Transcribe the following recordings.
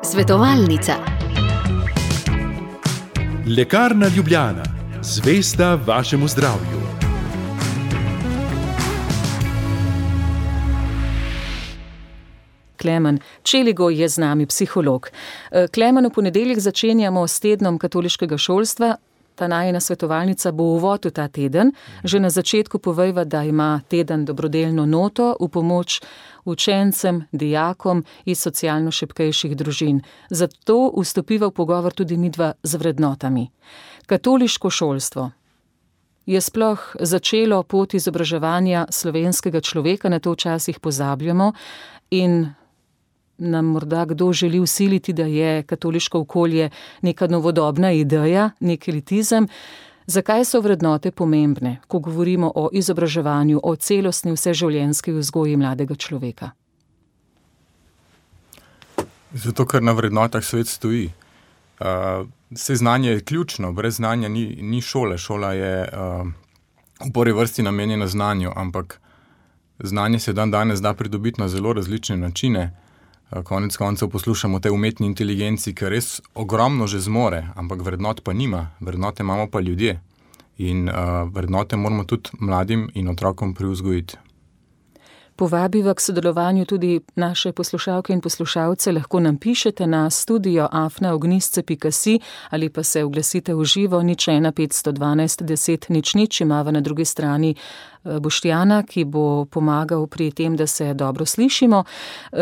Svetovalnica. Lekarna Ljubljana, zvesta vašemu zdravju. Klemen Čeligoj je z nami, psiholog. Klemen, v ponedeljek začenjamo s tednom katoliškega šolstva. Ta najina svetovalnica bo uvod v ta teden. Že na začetku povejva, da ima teden dobrodelno noto v pomoč učencem, dijakom iz socialno šibkejših družin. Zato vstopiva v pogovor tudi midva z vrednotami. Katoliško šolstvo je sploh začelo pot izobraževanja slovenskega človeka, na to včasih pozabljamo, in nam morda kdo želi vsiliti, da je katoliško okolje neka novodobna ideja, nek elitizem. Zakaj so vrednote pomembne, ko govorimo o izobraževanju, o celostni vseživljenjski vzgoji mladega človeka? Zato, ker na vrednotah svet stoji. Vse znanje je ključno, brez znanja ni šole. Šola je v prvi vrsti namenjena znanju, ampak znanje se danes da pridobiti na zelo različne načine. Konec koncev poslušamo te umetni inteligenci, ki res ogromno že zmore, ampak vrednot pa nima. Vrednote imamo pa ljudje. In vrednote moramo tudi mladim in otrokom privzgojiti. Povabiva k sodelovanju tudi naše poslušalke in poslušalce. Lahko nam pišete na studio@ognistce.si ali pa se oglasite v živo 01 512 10 00. Imava na drugi strani Boštjana, ki bo pomagal pri tem, da se dobro slišimo.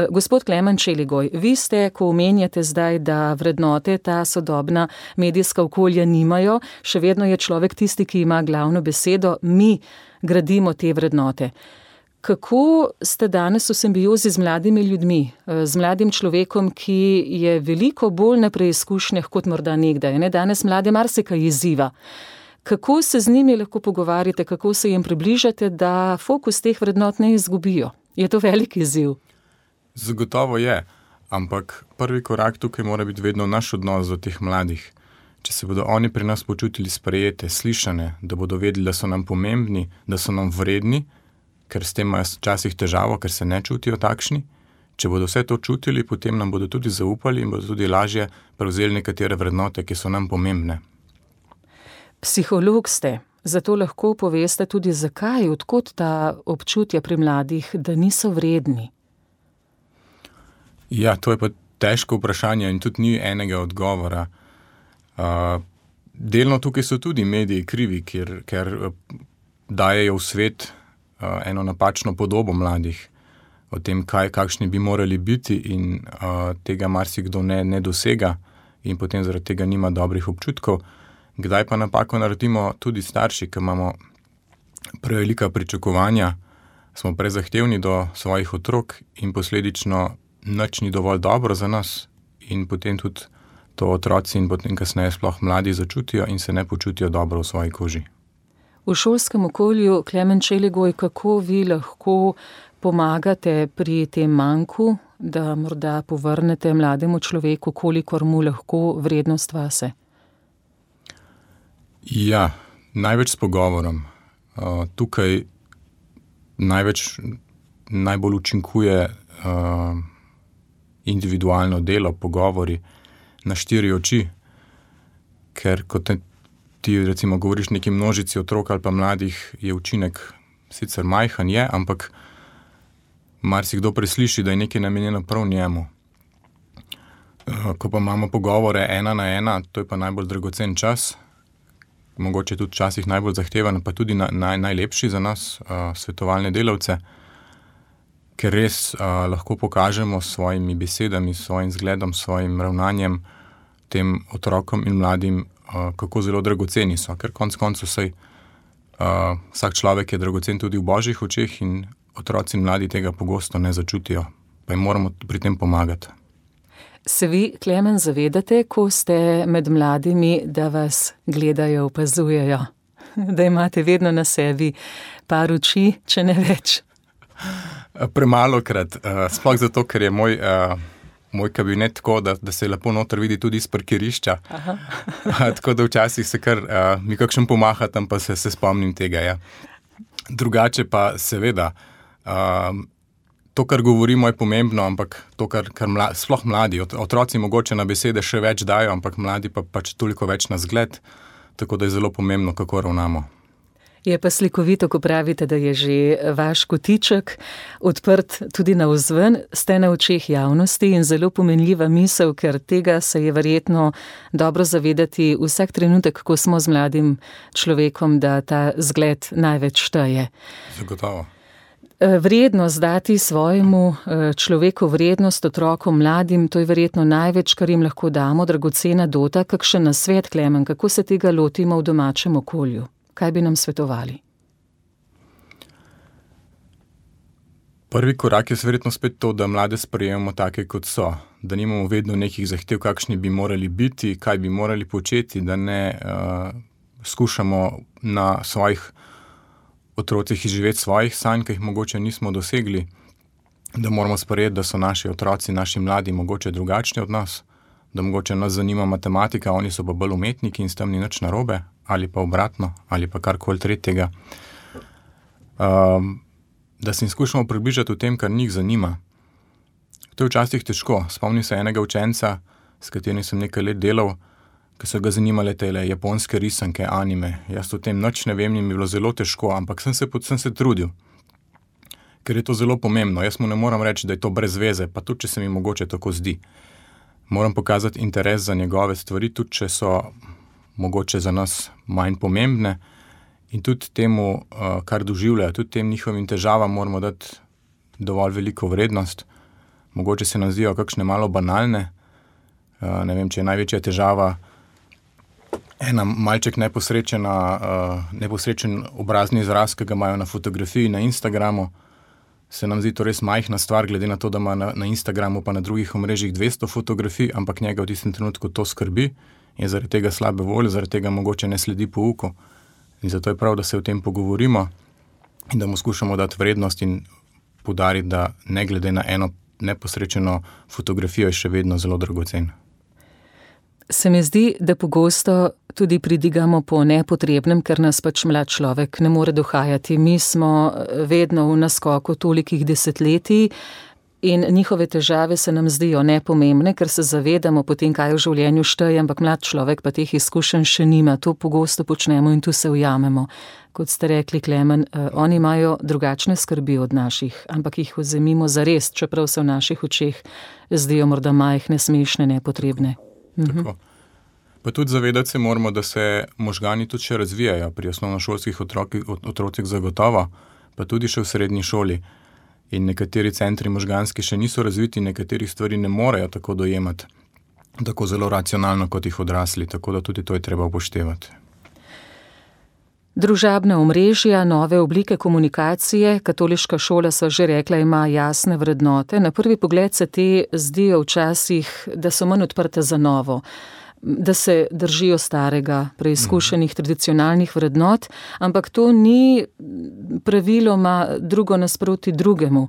Gospod Klemen Čeligoj, vi ste, ko omenjate zdaj, da vrednote ta sodobna medijska okolja nimajo, še vedno je človek tisti, ki ima glavno besedo, mi gradimo te vrednote. Kako ste danes v simbiozi z mladimi ljudmi, z mladim človekom, ki je veliko bolj na preizkušnjah kot morda nekdaj? Danes mlade marsikaj izziva. Kako se z njimi lahko pogovarjate, kako se jim približate, da fokus teh vrednot ne izgubijo? Je to velik izziv? Zagotovo je, ampak prvi korak tukaj mora biti vedno naš odnos do teh mladih. Če se bodo oni pri nas počutili sprejete, slišane, da bodo vedeli, da so nam pomembni, da so nam vredni, ker s tem imajo včasih težavo, ker se ne čutijo takšni. Če bodo vse to čutili, potem nam bodo tudi zaupali in bodo tudi lažje prevzeli nekatere vrednote, ki so nam pomembne. Psiholog ste, zato lahko poveste tudi zakaj, odkot ta občutja pri mladih, da niso vredni. Ja, to je pa težko vprašanje in tudi ni enega odgovora. Delno tukaj so tudi mediji krivi, ker dajejo v svet eno napačno podobo mladih o tem, kakšni bi morali biti, in tega marsikdo ne dosega in potem zaradi tega nima dobrih občutkov. Kdaj pa napako naredimo tudi starši, ki imamo prevelika pričakovanja, smo prezahtevni do svojih otrok in posledično nič ni dovolj dobro za nas, in potem tudi to otroci in potem kasneje sploh mladi začutijo in se ne počutijo dobro v svoji koži. V šolskem okolju, Klemen Čeligoj, kako vi lahko pomagate pri tem manku, da morda povrnete mlademu človeku, kolikor mu lahko vrednost vase? Ja, največ s pogovorom. Tukaj najbolj učinkuje individualno delo, pogovori na 4 oči, ker kot ti recimo govoriš neki množici otrok ali pa mladih, je učinek sicer majhen, ampak marsikdo presliši, da je nekaj namenjeno prav njemu. Ko pa imamo pogovore 1 na 1, to je pa najbolj dragocen čas, mogoče tudi včasih najbolj zahteven, pa tudi najlepši za nas, svetovalne delavce, ker res lahko pokažemo s svojimi besedami, s svojim zgledom, s svojim ravnanjem tem otrokom in mladim, kako zelo dragoceni so, ker konec koncev vsak človek je dragocen tudi v božjih očeh in otroci in mladi tega pogosto ne začutijo, pa jim moramo pri tem pomagati. Se vi, Klemen, zavedate, ko ste med mladimi, da vas gledajo, opazujejo, da imate vedno na sebi par oči, če ne več? Premalokrat, sploh zato, ker je moj kabinet tako, da se lepo noter vidi tudi iz parkirišča. Tako da včasih se kar mi kakšen pomaha, tam pa se spomnim tega. Ja. Drugače pa seveda, to, kar govorimo, je pomembno, ampak to, kar sploh mladi, otroci mogoče na besede še več dajo, ampak mladi pa pač toliko več na zgled, tako da je zelo pomembno, kako ravnamo. Je pa slikovito, ko pravite, da je že vaš kotiček odprt tudi navzven, ste na očeh javnosti in zelo pomenljiva misel, ker tega se je verjetno dobro zavedati vsak trenutek, ko smo z mladim človekom, da ta zgled največ šteje. Zagotovo. Vrednost dati svojemu človeku, vrednost otrokom, mladim, to je verjetno največ, kar jim lahko damo, dragocena dota. Kakšen nasvet, Klemen, kako se tega lotimo v domačem okolju? Kaj bi nam svetovali? Prvi korak je verjetno spet to, da mlade sprejemamo take, kot so. Da nimamo vedno nekih zahtev, kakšni bi morali biti, kaj bi morali početi, da ne skušamo na svojih otrocih izživeti svojih sanj, ki jih mogoče nismo dosegli, da moramo sprejeti, da so naši otroci, naši mladi mogoče drugačni od nas, da mogoče nas zanima matematika, oni so pa bolj umetniki in s tem ni nič narobe, ali pa obratno, ali pa karkoli tretjega. Da se jim skušamo približati v tem, kar njih zanima. To je včasih težko. Spomnim se enega učenca, s katerim sem nekaj let delal, ki so ga zanimale tele japonske risanke, anime. Jaz o tem nič ne vem in mi je bilo zelo težko, ampak sem se trudil. Ker je to zelo pomembno. Jaz mu ne moram reči, da je to brez veze, pa tudi, če se mi mogoče tako zdi. Moram pokazati interes za njegove stvari, tudi če so mogoče za nas manj pomembne in tudi temu, kar doživljajo, tudi tem njihovim težavam moramo dati dovolj veliko vrednost. Mogoče se nam zdijo kakšne malo banalne. Ne vem, če je največja težava ena malček neposrečen obrazni izraz, ki ga imajo na fotografiji na Instagramu, se nam zdi to res majhna stvar, glede na to, da ima na Instagramu pa na drugih omrežjih 200 fotografij, ampak njega v tistem trenutku to skrbi in zaradi tega slabe volje, zaradi tega mogoče ne sledi pouku. In zato je prav, da se o tem pogovorimo in da mu skušamo dati vrednost in poudariti, da ne glede na eno neposrečeno fotografijo je še vedno zelo dragocen. Se mi zdi, da pogosto tudi pridigamo po nepotrebnem, ker nas pač mlad človek ne more dohajati. Mi smo vedno v naskoku tolikih desetletij in njihove težave se nam zdijo nepomembne, ker se zavedamo potem, kaj v življenju šteje, ampak mlad človek pa teh izkušenj še nima. To pogosto počnemo in tu se ujamemo. Kot ste rekli, Klemen, oni imajo drugačne skrbi od naših, ampak jih vzemimo zares, čeprav se v naših očeh zdijo morda majhne, smešne, nepotrebne. Tako. Pa tudi zavedati se moramo, da se možgani tudi še razvijajo pri osnovnošolskih otrocih zagotovo, pa tudi še v srednji šoli. In nekateri centri možganski še niso razviti, nekaterih stvari ne morejo tako dojemati, tako zelo racionalno kot jih odrasli, tako da tudi to je treba upoštevati. Družabna omrežja, nove oblike komunikacije, katoliška šola, so že rekla, ima jasne vrednote. Na prvi pogled se te zdijo včasih, da so manj odprte za novo, da se držijo starega, preizkušenih tradicionalnih vrednot, ampak to ni praviloma drugo nasproti drugemu.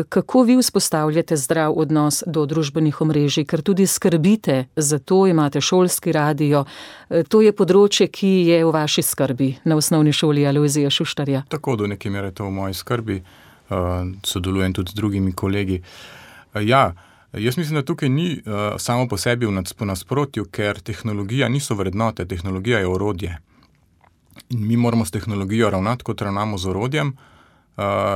Kako vi vzpostavljate zdrav odnos do družbenih omrežij, ker tudi skrbite za to, imate šolski radio, to je področje, ki je v vaši skrbi na osnovni šoli Alojzija Šuštarja. Tako, do neke mere to v moji skrbi, sodelujem tudi z drugimi kolegi. Ja, jaz mislim, da tukaj ni samo po sebi v nasprotju, ker tehnologija niso vrednote, tehnologija je orodje. In mi moramo s tehnologijo ravnati, kot ravnamo z orodjem.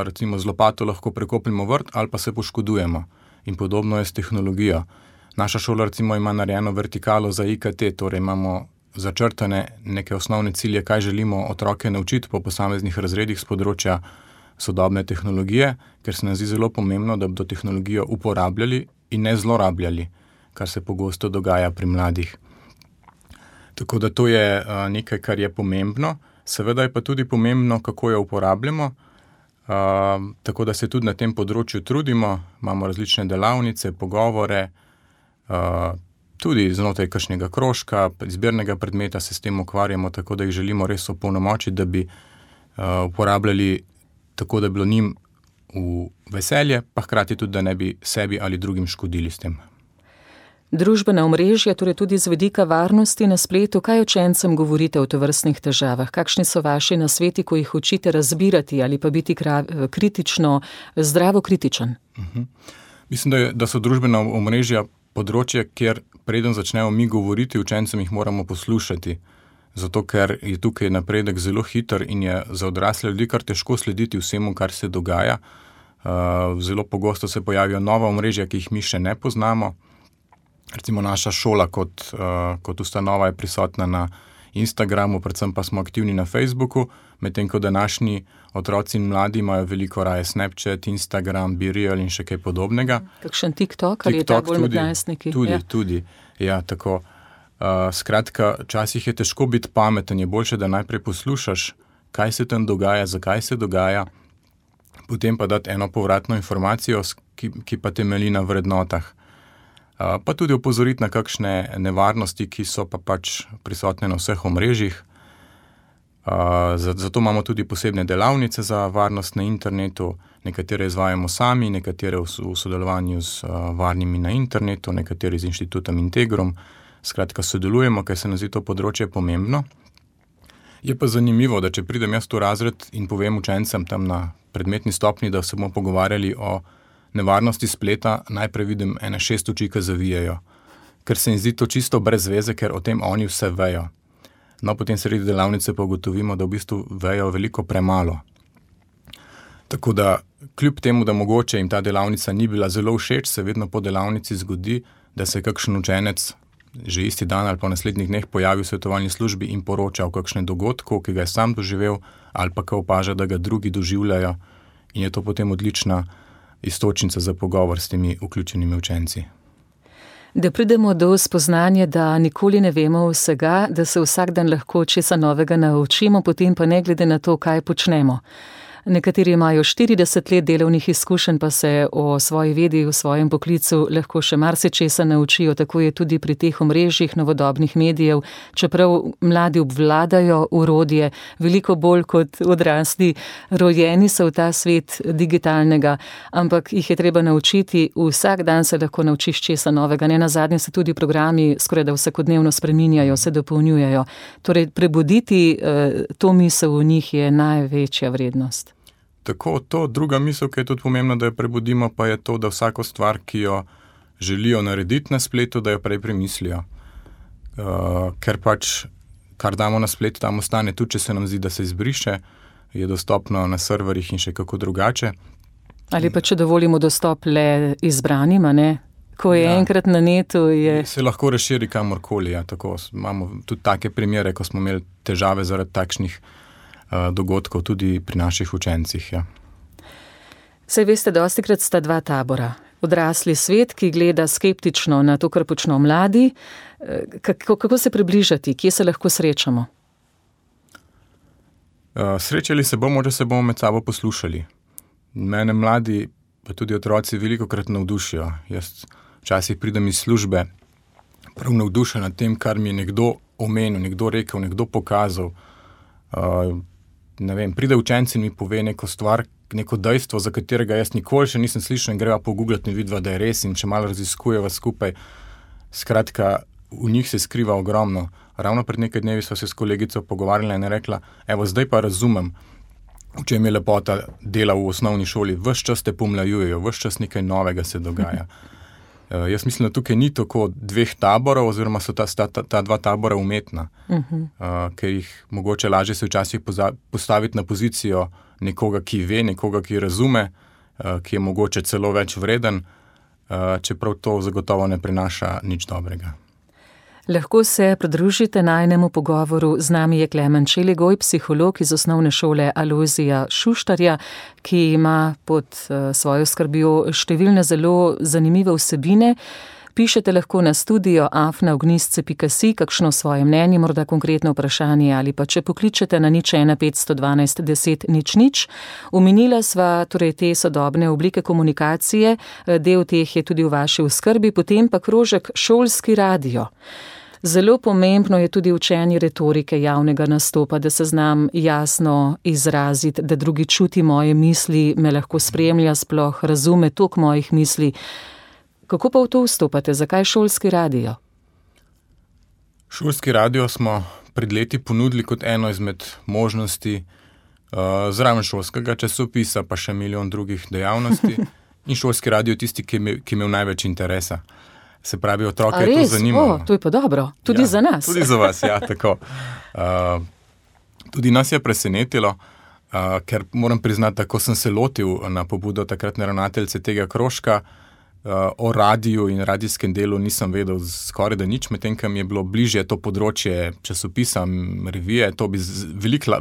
Recimo z lopato lahko prekopljamo vrt ali pa se poškodujemo. In podobno je s tehnologijo. Naša šola recimo ima narejeno vertikalo za IKT, torej imamo začrtane neke osnovne cilje, kaj želimo otroke naučiti po posameznih razredih z področja sodobne tehnologije, ker se nam zdi zelo pomembno, da bodo tehnologijo uporabljali in ne zlorabljali, kar se pogosto dogaja pri mladih. Tako da to je nekaj, kar je pomembno. Seveda je pa tudi pomembno, kako jo uporabljamo, tako da se tudi na tem področju trudimo, imamo različne delavnice, pogovore, tudi znotraj kakšnega krožka, izbirnega predmeta se s tem ukvarjamo, tako da jih želimo res opolnomočiti, da bi uporabljali tako, da bi bilo njim v veselje, pa hkrati tudi, da ne bi sebi ali drugim škodili s tem. Družbena omrežja, torej tudi z vidika varnosti na spletu, kaj učencem govorite o tovrstnih težavah? Kakšni so vaši nasveti, ko jih učite razbirati ali pa biti kritično, zdravo kritičen? Mislim, da so družbena omrežja področje, kjer preden začnemo mi govoriti, učencem jih moramo poslušati. Zato, ker je tukaj napredek zelo hiter in je za odrasle ljudi kar težko slediti vsemu, kar se dogaja. Zelo pogosto se pojavijo nova omrežja, ki jih mi še ne poznamo. Recimo naša šola kot ustanova je prisotna na Instagramu, predvsem pa smo aktivni na Facebooku, medtem ko današnji otroci in mladi imajo veliko raje Snapchat, Instagram, BeReal in še kaj podobnega. Kakšen TikTok, ali je ta bolj med najstniki? Tudi. Ja, tako. Skratka, včasih je težko biti pameten, je boljše, da najprej poslušaš, kaj se tam dogaja, zakaj se dogaja, potem pa dati eno povratno informacijo, ki pa temelji na vrednotah. Pa tudi opozoriti na kakšne nevarnosti, ki so pa pač prisotne na vseh omrežjih. Zato imamo tudi posebne delavnice za varnost na internetu, nekatere izvajamo sami, nekatere v sodelovanju z varnimi na internetu, nekatere z inštitutom Integrum. Skratka, sodelujemo, ker se nam zdi to področje pomembno. Je pa zanimivo, da če pridem jaz v razred in povem učencem tam na predmetni stopnji, da se bomo pogovarjali o nevarnosti spleta, najprej vidim ene 6 oči, ki zavijajo. Ker se jim zdi to čisto brez veze, ker o tem oni vse vejo. No, potem sredi delavnice pa ugotovimo, da v bistvu vejo veliko premalo. Tako da, kljub temu, da mogoče jim ta delavnica ni bila zelo všeč, se vedno po delavnici zgodi, da se kakšen učenec že isti dan ali pa v naslednjih dneh pojavi v svetovalni službi in poroča o kakšnem dogodku, ki ga je sam doživel, ali pa ga opaža, da ga drugi doživljajo, in je to potem odlična iztočnica za pogovor s temi vključenimi učenci. Da pridemo do spoznanja, da nikoli ne vemo vsega, da se vsak dan lahko česa novega naučimo, potem pa ne glede na to, kaj počnemo. Nekateri imajo 40 let delovnih izkušenj, pa se o svoji vedi, v svojem poklicu lahko še marsičesa naučijo, tako je tudi pri teh omrežjih novodobnih medijev, čeprav mladi obvladajo orodje, veliko bolj kot odrasli, rojeni so v ta svet digitalnega, ampak jih je treba naučiti, vsak dan se lahko naučiš česa novega, ne nazadnje se tudi programi skoraj da vsakodnevno spreminjajo, se dopolnjujejo. Torej, prebuditi to misel v njih je največja vrednost. Tako, to druga misel, ki je tudi pomembna, da jo prebudimo, pa je to, da vsako stvar, ki jo želijo narediti na spletu, da jo prej premislijo. Ker pač, kar damo na splet, tam ostane, tudi če se nam zdi, da se izbriše, je dostopno na serverjih in še kako drugače. Ali pa če dovolimo dostop le izbranim, ne? Ko je enkrat na netu, se lahko razširi kamorkoli, ja, tako. Imamo tudi take primere, ko smo imeli težave zaradi takšnih dogodkov tudi pri naših učencih. Ja. Saj veste, dostikrat sta dva tabora. Odrasli svet, ki gleda skeptično na to, kar počno mladi. Kako se približati? Kje se lahko srečamo? Srečali se bomo, če se bomo med sabo poslušali. Mene mladi, pa tudi otroci velikokrat navdušijo. Jaz včasih pridem iz službe prav navdušen nad tem, kar mi je nekdo omenil, nekdo rekel, nekdo pokazal. Ne vem, pride učenci in mi pove neko stvar, neko dejstvo, za katerega jaz nikoli še nisem slišal in greva pogooglati in vidva, da je res in če malo raziskujeva skupaj. Skratka, v njih se skriva ogromno. Ravno pred nekaj dnevi sva se s kolegico pogovarjala in je rekla, evo, zdaj pa razumem, v čem je lepota dela v osnovni šoli. Ves čas te pomlajujejo, ves čas nekaj novega se dogaja. Jaz mislim, da tukaj ni tako dveh taborov, oziroma so ta dva tabora umetna, ker jih mogoče lažje se včasih postaviti na pozicijo nekoga, ki ve, nekoga, ki razume, ki je mogoče celo več vreden, čeprav to zagotovo ne prinaša nič dobrega. Lahko se pridružite najnemu pogovoru. Z nami je Klemen Čeligoj, psiholog iz osnovne šole Alojzija Šuštarja, ki ima pod svojo skrbjo številne zelo zanimive vsebine. Pišete lahko na studio@ognistce.si kakšno svoje mnenje, morda konkretno vprašanje ali pa če pokličete na 01 512 10 00. Omenila sva torej te sodobne oblike komunikacije, del teh je tudi v vaši oskrbi, potem pa krožek šolski radio. Zelo pomembno je tudi učenje retorike javnega nastopa, da se znam jasno izraziti, da drugi čuti moje misli, me lahko spremlja, sploh razume tok mojih misli. Kako pa v to vstopate? Zakaj šolski radio? Šolski radio smo pred leti ponudili kot eno izmed možnosti zraven šolskega časopisa, pa še milijon drugih dejavnosti. In šolski radio je tisti, ki imel največ interesa. Se pravi, otroke je to zanimalo. To je pa dobro. Tudi za nas. Tudi za vas, ja, tako. Tudi nas je presenetilo, ker moram priznati, da ko sem se lotil na pobudo takratne ravnateljice tega krožka, o radiju in radijskem delu nisem vedel skoraj da nič, medtem ko mi je bilo bližje to področje časopisa, revije, to bi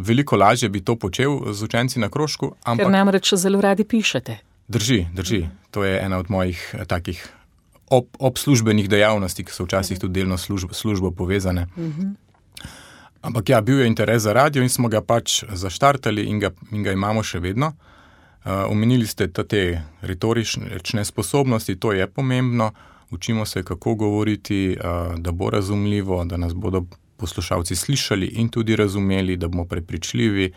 veliko lažje bi to počel z učenci na krožku. Ker namreč zelo radi pišete. Drži. To je ena od mojih takih obslužbenih dejavnosti, ki so včasih tudi delno službo povezane. Ampak ja, bil je interes za radio in smo ga pač zaštartali in ga imamo še vedno. Omenili ste te retorične sposobnosti, to je pomembno. Učimo se, kako govoriti, da bo razumljivo, da nas bodo poslušalci slišali in tudi razumeli, da bomo prepričljivi.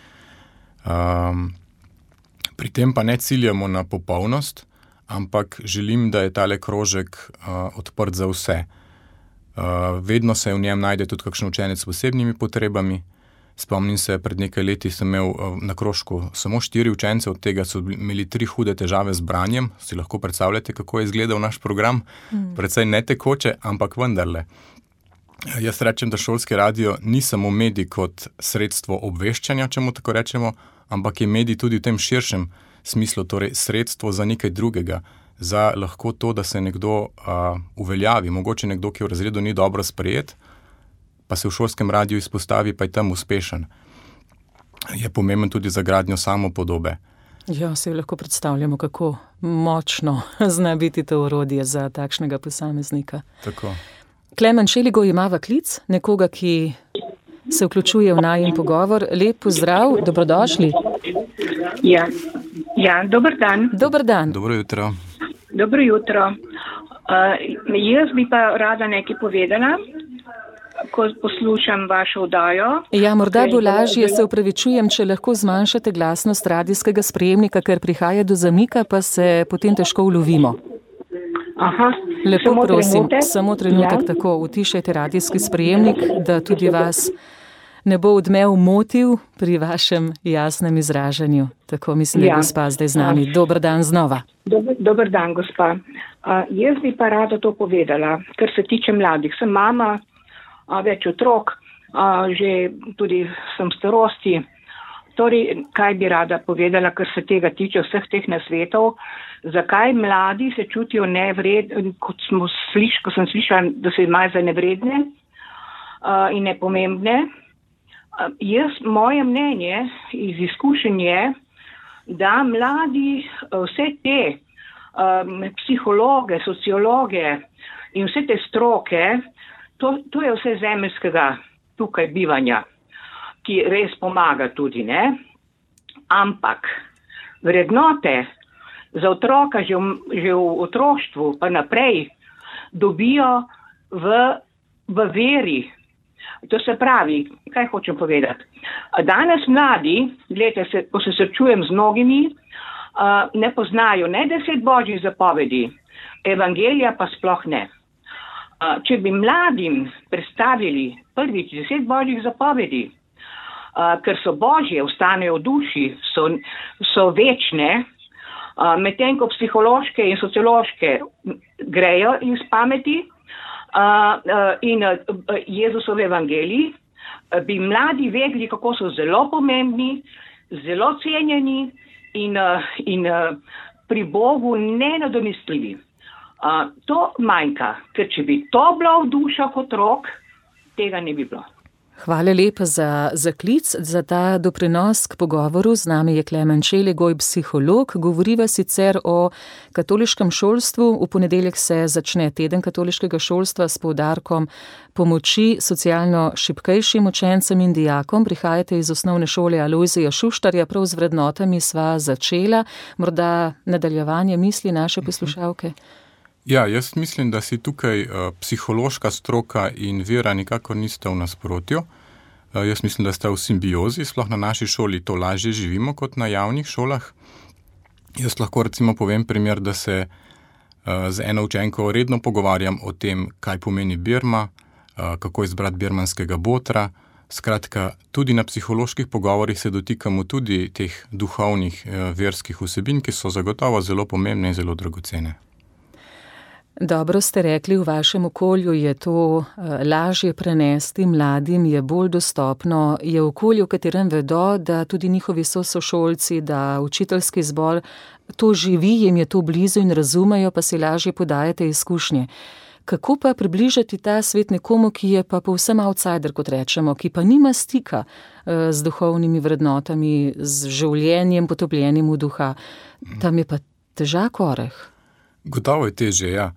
Pri tem pa ne ciljamo na popolnost, ampak želim, da je tale krožek odprt za vse. Vedno se v njem najde tudi kakšen učenec s posebnimi potrebami. Spomnim se, pred nekaj leti sem imel na krožku samo 4 učence, od tega so imeli 3 hude težave z branjem. Si lahko predstavljate, kako je izgledal naš program? Precej netekoče, ampak vendarle. Jaz rečem, da šolski radio ni samo medij kot sredstvo obveščanja, če mu tako rečemo, ampak je medij tudi v tem širšem smislu, torej sredstvo za nekaj drugega, za lahko to, da se nekdo uveljavi. Mogoče nekdo, ki v razredu ni dobro sprejet, pa se v šolskem radiju izpostavi, pa je tam uspešen. Je pomemben tudi za gradnjo samopodobe. Ja, se lahko predstavljamo, kako močno zna biti to orodje za takšnega posameznika. Tako. Klemen Šeligoj ima v klic nekoga, ki se vključuje v najin pogovor. Lep pozdrav, dobrodošli. Ja, dober dan. Dober dan. Dobro jutro. Dobro jutro. Jaz bi pa rada nekaj povedala, ko poslušam vašo oddajo. Ja, morda bo lažje, se opravičujem, če lahko zmanjšate glasnost radijskega sprejemnika, ker prihaja do zamika, pa se potem težko ulovimo. Aha. Lepo prosim, samo trenutek, tako utišajte radijski sprejemnik, da tudi vas ne bo odmev motil pri vašem jasnem izražanju. Tako mislim, da je gospa zdaj z nami. Dober dan znova. Dober dan, gospa. Jaz bi pa rada to povedala, kar se tiče mladih. Sem mama, več otrok, že tudi sem starosti. Torej, kaj bi rada povedala, kar se tega tiče vseh teh nasvetov, zakaj mladi se čutijo nevredni, ko sem slišala, da se imajo za nevredne in nepomembne. Moje mnenje iz izkušenj je, da mladi vse te psihologe, sociologe in vse te stroke, to je vse zemeljskega tukaj bivanja, ki res pomaga tudi, ne? Ampak vrednote za otroka že v otroštvu pa naprej dobijo v veri. To se pravi, kaj hočem povedati. Danes mladi, gledajte, ko se srečujem z mnogimi, ne poznajo ne 10 božjih zapovedi, evangelija pa sploh ne. Če bi mladim predstavili prvič 10 božjih zapovedi, ker so božje, ostanejo v duši, so večne, medtem ko psihološke in sociološke grejo iz pameti, in Jezusove evangeliji, bi mladi vedeli, kako so zelo pomembni, zelo cenjeni in pri Bogu nenadomestljivi. To manjka, ker če bi to bilo v dušah otrok, tega ne bi bilo. Hvala lepa za klic, za ta doprinos k pogovoru. Z nami je Klemen Šeligoj, psiholog. Govoriva sicer o katoliškem šolstvu. V ponedeljek se začne teden katoliškega šolstva s poudarkom pomoči socialno šibkejšim učencem in dijakom. Prihajate iz osnovne šole Alojzija Šuštarja, prav z vrednotami sva začela. Morda nadaljevanje misli naše poslušalke? Ja, jaz mislim, da si tukaj psihološka stroka in vera nikakor nista v nasprotju. Jaz mislim, da sta v simbiozi, sploh na naši šoli to lažje živimo kot na javnih šolah. Jaz lahko recimo povem primer, da se z eno učenko redno pogovarjam o tem, kaj pomeni birma, kako izbrati birmanskega botra. Skratka, tudi na psiholoških pogovorih se dotikamo tudi teh duhovnih, verskih vsebin, ki so zagotovo zelo pomembne in zelo dragocene. Dobro ste rekli, v vašem okolju je to lažje prenesti, mladim je bolj dostopno, je okolje, v katerem vedo, da tudi njihovi sošolci, da učiteljski zbor to živi, jim je to blizu in razumejo, pa si lažje podajate izkušnje. Kako pa približati ta svet nekomu, ki je pa povsem outsider, kot rečemo, ki pa nima stika z duhovnimi vrednotami, z življenjem potopljenim v duha? Tam je pa težak oreh. Gotovo je težje, ja.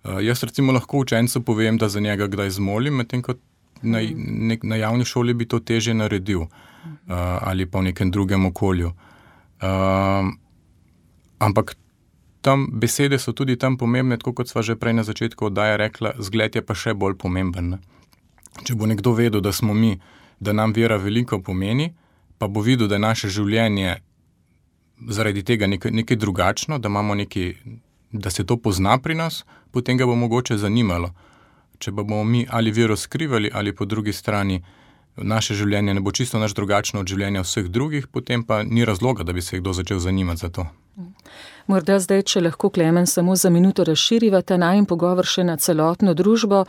Jaz recimo lahko učencu povem, da za njega kdaj zmolim, medtem ko na javni šoli bi to težje naredil ali pa v nekem drugem okolju. Ampak tam besede so tudi tam pomembne, tako kot sva že prej na začetku oddaje rekla, zgled je pa še bolj pomemben. Če bo nekdo vedel, da smo mi, da nam vera veliko pomeni, pa bo videl, da je naše življenje zaradi tega nekaj drugačno, da imamo da se to pozna pri nas, potem ga bo mogoče zanimalo. Če pa bomo mi ali vero skrivali, ali po drugi strani naše življenje ne bo čisto naš drugačno od življenja vseh drugih, potem pa ni razloga, da bi se kdo začel zanimati za to. Morda zdaj, če lahko, Klemen, samo za minuto razširiva ta najin pogovor še na celotno družbo.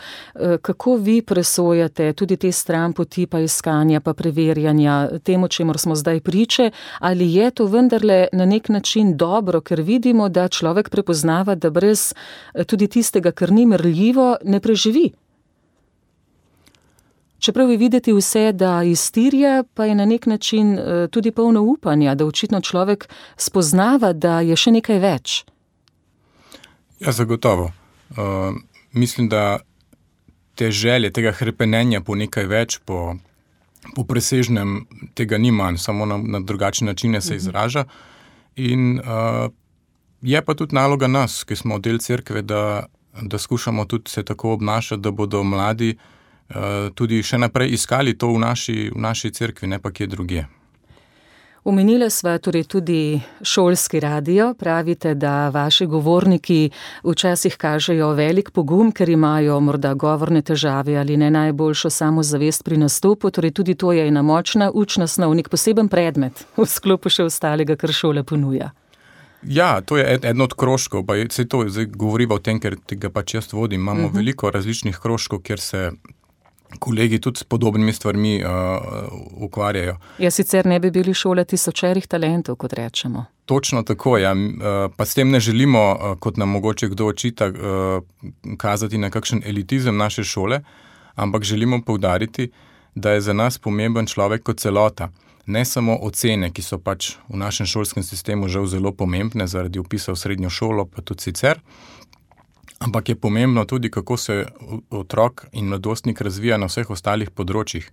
Kako vi presojate tudi te stranpoti pa iskanja pa preverjanja temu, čemur smo zdaj priče, ali je to vendarle na nek način dobro, ker vidimo, da človek prepoznava, da brez tudi tistega, kar ni merljivo, ne preživi? Čeprav je videti vse, da iztirja, pa je na nek način tudi polno upanja, da očitno človek spoznava, da je še nekaj več. Ja, zagotovo. Mislim, da te želje, tega hrepenenja po nekaj več, po presežnem, tega ni manj, samo na drugačne načine se izraža. In je pa tudi naloga nas, ki smo del cerkve, da skušamo tudi se tako obnašati, da bodo mladi tudi še naprej iskali to v naši cerkvi, ne pa kje drugje. Omenila sva torej tudi šolski radio. Pravite, da vaši govorniki včasih kažejo velik pogum, ker imajo morda govorne težave ali ne najboljšo samozavest pri nastopu. Torej tudi to je ena močna učna snov, nek poseben predmet v sklopu še ostalega, kar šola ponuja. Ja, to je eden od krožkov, pa se to zdaj govoriva o tem, ker tega pač jaz vodim. Imamo veliko različnih krožkov, kjer se kolegi tudi s podobnimi stvarmi ukvarjajo. Ja, sicer ne bi bili šola tisočerih talentov, kot rečemo. Točno tako, ja. Pa s tem ne želimo, kot nam mogoče kdo očita, kazati na kakšen elitizem naše šole, ampak želimo poudariti, da je za nas pomemben človek kot celota. Ne samo ocene, ki so pač v našem šolskem sistemu žal zelo pomembne zaradi vpisa v srednjo šolo, pa tudi sicer, ampak je pomembno tudi, kako se otrok in mladostnik razvija na vseh ostalih področjih.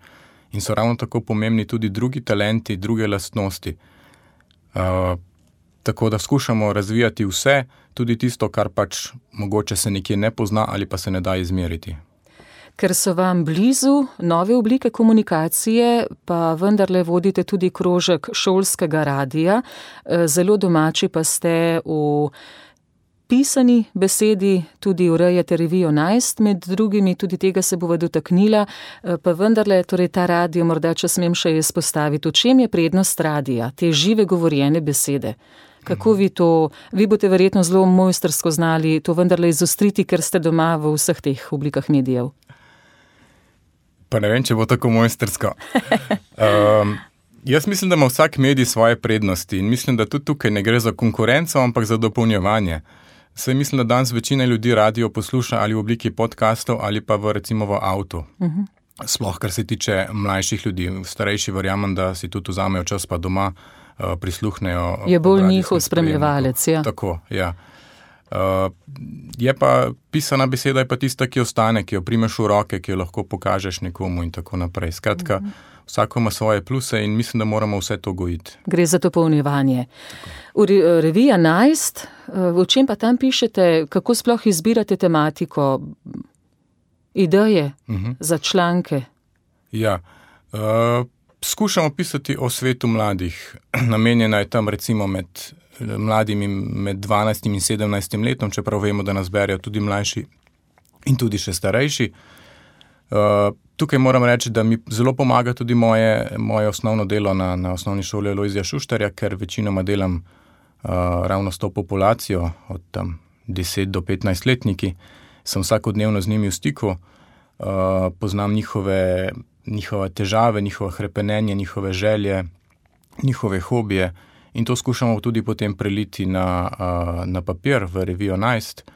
In so ravno tako pomembni tudi drugi talenti, druge lastnosti. Tako da skušamo razvijati vse, tudi tisto, kar pač mogoče se nekje ne pozna ali pa se ne da izmeriti. Ker so vam blizu nove oblike komunikacije, pa vendarle vodite tudi krožek šolskega radia. Zelo domači pa ste v pisani besedi, tudi urejate revijo Najst, med drugimi, tudi tega se bova dotaknila, pa vendarle, torej ta radio, morda če smem še izpostaviti, v čem je prednost radija, te žive govorjene besede? Kako vi boste verjetno zelo mojstrsko znali to vendarle izostriti, ker ste doma v vseh teh oblikah medijev? Pa ne vem, če bo tako mojstrsko. Jaz mislim, da ima vsak medij svoje prednosti in mislim, da tudi tukaj ne gre za konkurenco, ampak za dopolnjevanje. Saj mislim, da danes večina ljudi radio posluša ali v obliki podcastov ali pa recimo v avtu. Sploh, kar se tiče mlajših ljudi. Starejši verjamem, da si tudi vzamejo čas pa doma prisluhnejo. Je bolj njihov spremljevalec, ja. Tako, ja. Je pa pisana beseda, je pa tista, ki ostane, ki jo primeš v roke, ki jo lahko pokažeš nekomu in tako naprej. Skratka, vsako ima svoje pluse in mislim, da moramo vse to gojiti. Gre za dopolnjevanje. Revija Najst, v čem pa tam pišete, kako sploh izbirate tematiko, ideje za članke? Ja, skušamo pisati o svetu mladih. Namenjena je tam recimo med mladimi med 12 in 17 letom, čeprav vemo, da nas berijo tudi mlajši in tudi še starejši. Tukaj moram reči, da mi zelo pomaga tudi moje osnovno delo na osnovni šoli Lojzija Šuštarja, ker večinoma delam ravno s to populacijo, od tam 10 do 15 letniki. Sem vsakodnevno z njimi v stiku, poznam njihove težave, njihove hrepenenje, njihove želje, njihove hobije in to skušamo tudi potem preliti na papir v revijo Najst.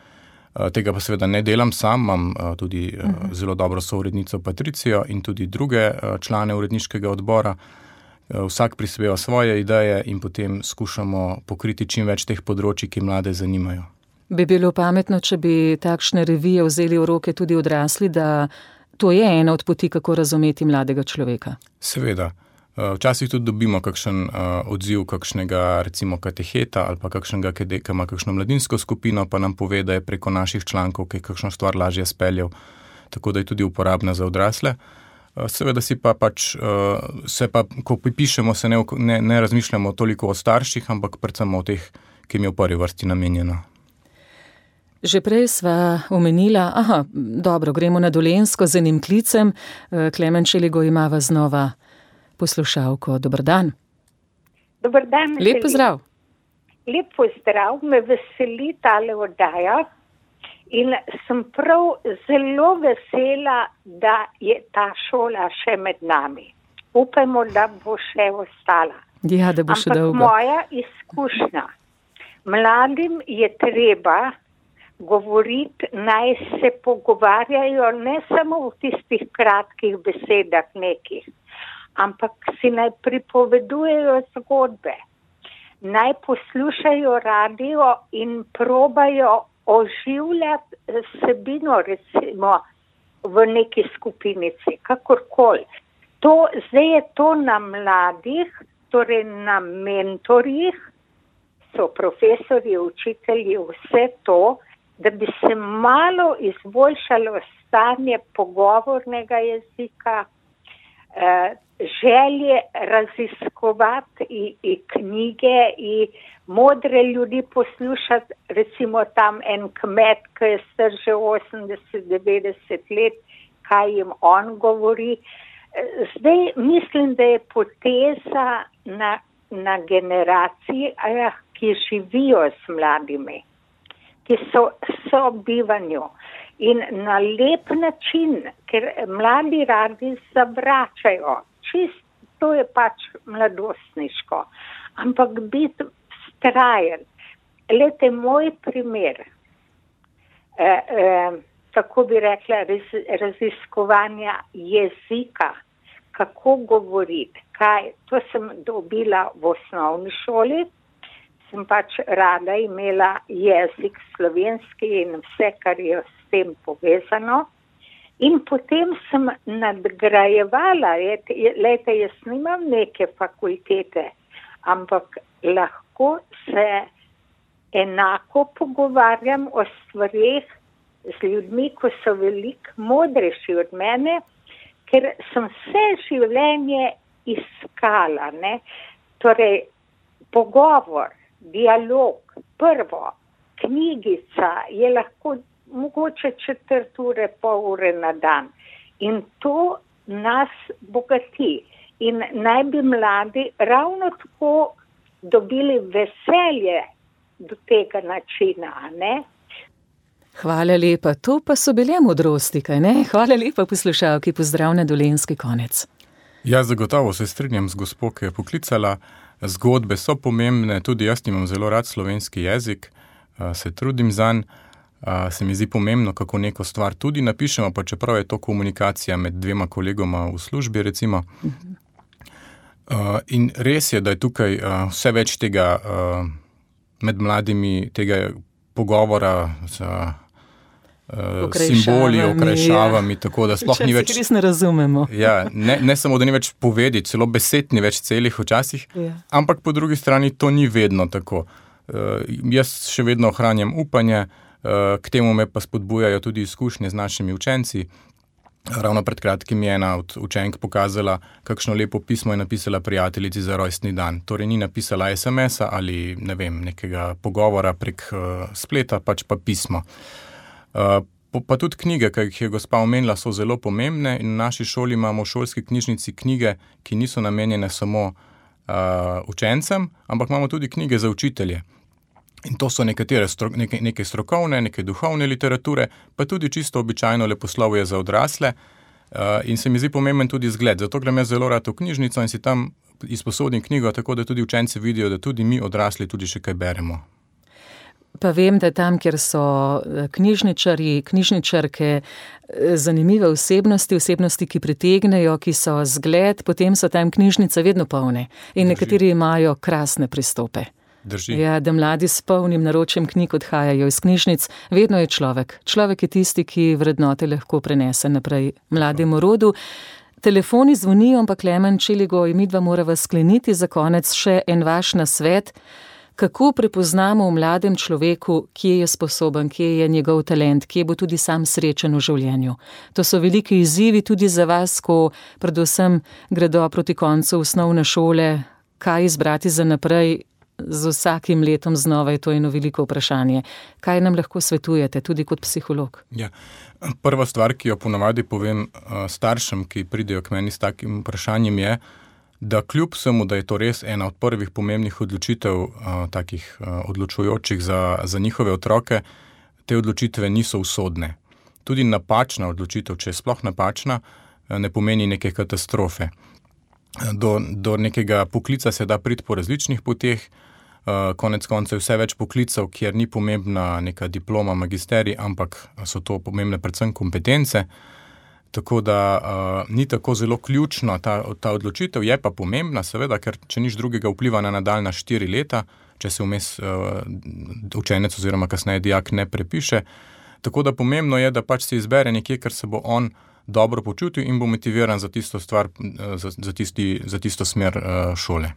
Tega pa seveda ne delam sam, imam tudi zelo dobro sourednico Patricijo in tudi druge člane uredniškega odbora. Vsak prispeva svoje ideje in potem skušamo pokriti čim več teh področji, ki mlade zanimajo. Bi bilo pametno, če bi takšne revije vzeli v roke tudi odrasli, da to je ena od poti, kako razumeti mladega človeka? Seveda. Včasih tudi dobimo kakšen odziv kakšnega recimo kateheta ali pa kakšnega, ki ima kakšno mladinsko skupino, pa nam pove, da je preko naših člankov, ki je kakšno stvar lažje speljal, tako da je tudi uporabna za odrasle. Seveda ko pišemo, se ne razmišljamo toliko o starših, ampak predvsem o teh, ki jim je v prvi vrsti namenjeno. Že prej sva omenila, dobro, gremo na Dolenjsko z enim klicem. Klemen Čeligo imava znova poslušalko. Dober dan. Dober dan. Lep pozdrav. Lep pozdrav, me veseli tale oddaja in sem prav zelo vesela, da je ta šola še med nami. Upajmo, da bo še ostala. Ja, da bo še dolgo. Ampak moja izkušnja, mladim je treba govoriti, naj se pogovarjajo ne samo v tistih kratkih besedah nekih, ampak si naj pripovedujejo zgodbe, naj poslušajo radio in probajo oživljati vsebino recimo v neki skupinici, kakorkoli. Zdaj je to na mladih, torej na mentorjih, so profesorji, učitelji, vse to, da bi se malo izboljšalo stanje pogovornega jezika, želje raziskovati i knjige i modre ljudi poslušati, recimo tam en kmet, ki je star že 80-90 let, kaj jim on govori. Zdaj mislim, da je poteza na generacijah, ki živijo s mladimi, ki so sobivanju in na lep način, ker mladi radi zavračajo. To je pač mladostniško, ampak biti strajen. Glejte, moj primer, tako bi rekla, raziskovanja jezika, kako govoriti, to sem dobila v osnovni šoli, sem pač rada imela jezik slovenski in vse, kar je s tem povezano. In potem sem nadgrajevala, lejte, jaz nimam neke fakultete, ampak lahko se enako pogovarjam o stvareh z ljudmi, ko so veliko modrejši od mene, ker sem vse življenje iskala, ne? Torej, pogovor, dialog, prvo, knjigica je lahko mogoče 4 ure, pol ure na dan. In to nas bogati. In naj bi mladi ravno tako dobili veselje do tega načina, ne? Hvala lepa. To pa so bile modrosti, kaj ne? Hvala lepa poslušalki, pozdrav na Dolenjski konec. Ja, zagotovo se strinjam z gospo, ki je poklicala. Zgodbe so pomembne, tudi jaz imam zelo rad slovenski jezik, se trudim zanj. Se mi zdi pomembno, kako neko stvar tudi napišemo, pa čeprav je to komunikacija med 2 kolegoma v službi, recimo. In res je, da je tukaj vse več tega med mladimi, tega pogovora z simboli, okrajšavami, tako da sploh ni več... Res ne razumemo. Ja, ne samo, da ni več povedi, celo besed ni več celih včasih, ampak po drugi strani to ni vedno tako. Jaz še vedno ohranjam upanje, k temu me pa spodbujajo tudi izkušnje z našimi učenci, Ravno pred kratkim je ena od učenk pokazala, kakšno lepo pismo je napisala prijateljici za rojstni dan. Torej ni napisala SMS-a ali nekega pogovora prek spleta, pač pa pismo. Pa tudi knjige, ki jih je gospa omenila, so zelo pomembne in v naši šoli imamo v šolski knjižnici knjige, ki niso namenjene samo učencem, ampak imamo tudi knjige za učitelje. In to so neke strokovne, neke duhovne literature, pa tudi čisto običajno leposlovje za odrasle. In se mi zdi pomemben tudi zgled. Zato grem jaz zelo rad v knjižnico in si tam izposodim knjigo, tako da tudi učenci vidijo, da tudi mi odrasli tudi še kaj beremo. Pa vem, da tam, kjer so knjižničarji, knjižničarke, zanimive osebnosti, ki pritegnejo, ki so zgled, potem so tam knjižnice vedno polne. In nekateri imajo krasne pristope. Drži. Ja, da mladi s polnim naročjem knjig odhajajo iz knjižnic. Vedno je človek. Človek je tisti, ki vrednote lahko prenese naprej mlademu rodu. Telefoni zvonijo, ampak Klemen Čeligoj, midva morava skleniti za konec še en vaš nasvet. Kako prepoznamo v mladem človeku, kje je sposoben, kje je njegov talent, kje bo tudi sam srečen v življenju. To so veliki izzivi tudi za vas, ko predvsem gredo proti koncu osnovne šole, kaj izbrati za naprej. Z vsakim letom znova je to eno veliko vprašanje. Kaj nam lahko svetujete, tudi kot psiholog? Ja. Prva stvar, ki jo ponavadi povem staršem, ki pridejo k meni s takim vprašanjem, je, da kljub vsemu, da je to res ena od prvih pomembnih odločitev, takih odločujočih za njihove otroke, te odločitve niso usodne. Tudi napačna odločitev, če je sploh napačna, ne pomeni neke katastrofe. Do nekega poklica se da priti po različnih poteh, konec koncev vse več poklicev, kjer ni pomembna neka diploma, magisterij, ampak so to pomembne predvsem kompetence, tako da ni tako zelo ključna ta odločitev, je pa pomembna seveda, ker če nič drugega vpliva na nadaljnja 4 leta, če se vmes učenec oziroma kasneje dijak ne prepiše, tako da pomembno je, da pač se izbere nekje, ker se bo on dobro počutil in bo motiviran za tisto stvar, za tisto smer šole.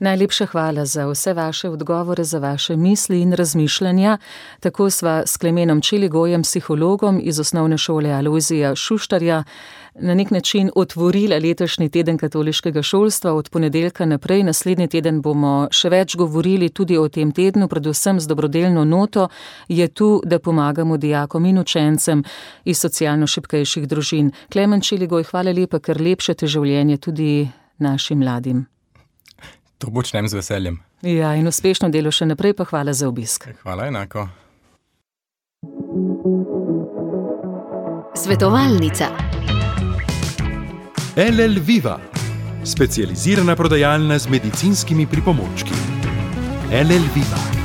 Najlepša hvala za vse vaše odgovore, za vaše misli in razmišljanja. Tako sva s Klemenom Čeligojem, psihologom iz osnovne šole Alojzija Šuštarja, na nek način otvorila letošnji teden katoliškega šolstva. Od ponedeljka naprej, naslednji teden bomo še več govorili tudi o tem tednu, predvsem z dobrodelno noto. Je tu, da pomagamo dijakom in učencem iz socialno šibkejših družin. Klemen Čeligoj, hvala lepa, ker lepšate življenje tudi našim mladim. To počnem z veseljem. Ja, in uspešno delo še naprej, pa hvala za obisk. Hvala enako. Svetovalnica. LL Viva, specializirana prodajalna z medicinskimi pripomočki. LL Viva.